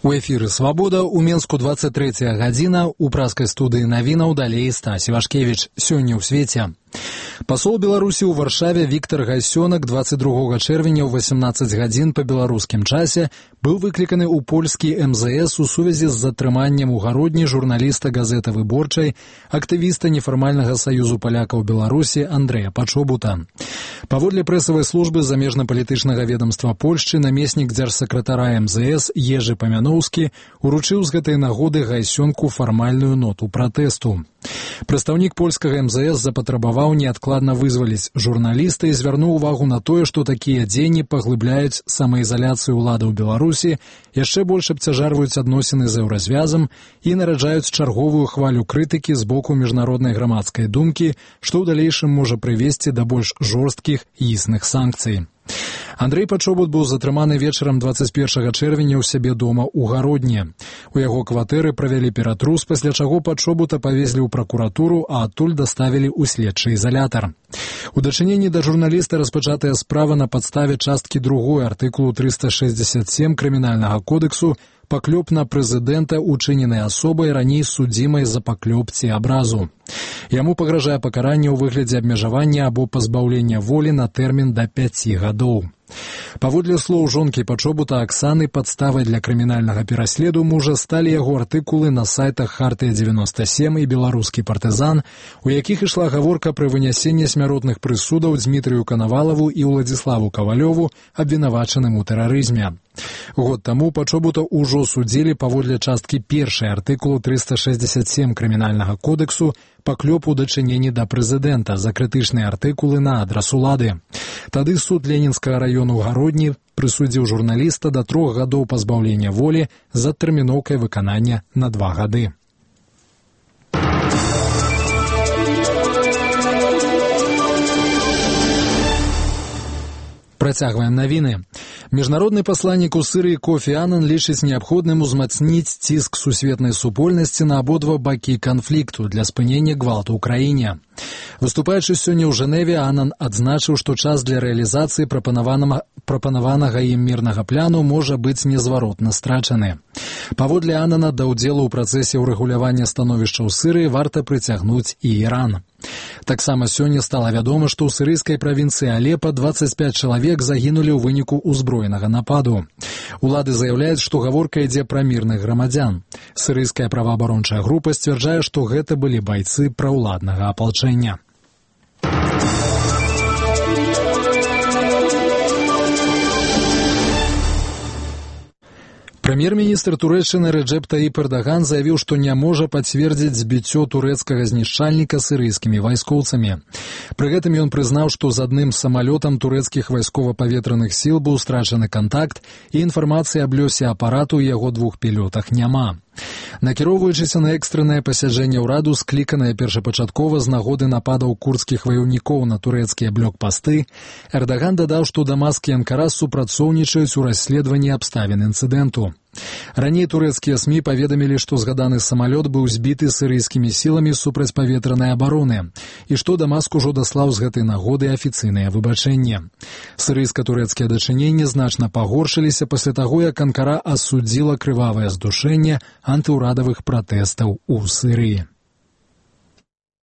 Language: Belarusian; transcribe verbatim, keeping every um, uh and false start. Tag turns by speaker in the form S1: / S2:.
S1: У эфіры «Свабода» у Менску двадцать третья гадзіна, у праскай студыі навінаў далей Стась Івашкевіч. Сёння ў свеце. Пасол Беларусі ў Варшаве Віктор Гайсёнак двадцать другога чэрвеня ў восемнадцаць гадзін па беларускім часе быў выкліканы ў польскі эм зэ эс у сувязі з затрыманнем у гародні журналіста газеты «Выборчай», актывіста нефармальнага саюзу палякаў Беларусі Андрэя Пачобута. Паводле прэсавай службы замежна-палітычнага ведомства Польшчы намеснік дзяржсакратара эм зэ эс Ежы Памяноўскі уручыў з гэтай нагоды Гайсёнку фармальную ноту пратэсту. Прадстаўнік польскага эм зэ эс запатрабаваў неадкладна вызваліць журналіста і звярнуў увагу на тое, што такія дзеянні паглыбляюць самаізаляцыю ўладаў Беларусі, яшчэ больш абцяжарваюць адносіны з еўразвязам і нараджаюць чарговую хвалю крытыкі з боку міжнароднай грамадскай думкі, што ў далейшым можа прывесці да больш жорсткіх і існых санкцый. Андрэй Пачобут быў затрыманы вечарам двадцать першага чэрвеня ў сябе дома ў Гародні. У яго кватэры правялі ператрус, пасля чаго Пачобута павезлі ў пракуратуру, а адтуль даставілі ў следчы ізалятар. У дачыненні да журналіста распачатая справа на падставе часткі другой артыкулу триста шестьдесят семь крымінальнага кодексу паклёп на прэзідэнта, учыненай асобай раней судзімай за паклёп ці абразу. Яму пагражае пакаранне ў выглядзе абмежавання або пазбаўлення волі на тэрмін да пяці гадоў. Паводле слоў жонкі Пачобута Аксаны, падставай для крымінальнага пераследу мужа сталі яго артыкулы на сайтах «Хартыя девяносто семь» і «Беларускі партызан», у якіх ішла гаворка пра вынясенне смяротных прысудаў Дмітрыю Канавалаву і Уладзіславу Кавалёву, абвінавачаным у тэрарызме. Год таму Пачобута ўжо судзілі паводле часткі першай артыкулу триста шестьдесят семь крымінальнага кодексу паклёп у дачыненні да прэзідэнта за крытычныя артыкулы на адрас улады. Тады суд Ленінскага раёну ў Гародні прысудзіў журналіста да трох гадоў пазбаўлення волі з адтэрміноўкай выканання на два гады. Працягваем навіны. Міжнародны пасланнік у Сірыі Кофі Анан лічыць неабходным узмацніць ціск сусветнай супольнасці на абодва бакі канфлікту для спынення гвалту ў краіне. Выступаючы сёння ў Жэневе, Анан адзначыў, што час для рэалізацыі прапанаванага, прапанаванага ім мірнага пляну можа быць незваротна страчаны. Паводле Анана, да ўдзелу ў працэсе ўрэгулявання становішча ў Сірыі варта прыцягнуць і Іран. Таксама сёння стала вядома, што ў сірыйскай правінцыі Алепа двадцать пять чалавек загінулі ў выніку ўзброенага нападу. Улады заяўляюць, што гаворка ідзе пра мірных грамадзян. Сірыйская праваабарончая група сцвярджае, што гэта былі байцы праўладнага апалчэння. Прэм'ер-міністр Турэччыны Рэджэп Таіп Эрдаган заявіў, што не можа пацвердзіць збіццё турэцкага знішчальніка сірыйскімі вайскоўцамі. Пры гэтым ён прызнаў, што з адным самалётам турэцкіх вайскова-паветраных сіл быў страчаны кантакт і інфармацыі аб лёсе апарату і яго двух пілётах няма. Накіроўваючыся на экстрэнае пасяджэнне ўраду, скліканае першапачаткова з нагоды нападаў курдскіх ваяўнікоў на турэцкія блокпасты, Эрдаган дадаў, што Дамаск і Анкара супрацоўнічаюць у расследаванні абставін інцыдэнту. Раней турэцкія СМІ паведамілі, што згаданы самалёт быў збіты сірыйскімі сіламі супрацьпаветранай абароны і што Дамаск ужо даслаў з гэтай нагоды афіцыйнае выбачэнне. Сірыйска-турэцкія дачыненні значна пагоршыліся пасля таго, як Анкара асудзіла крывавае здушэнне антыўрадавых пратэстаў у Сірыі.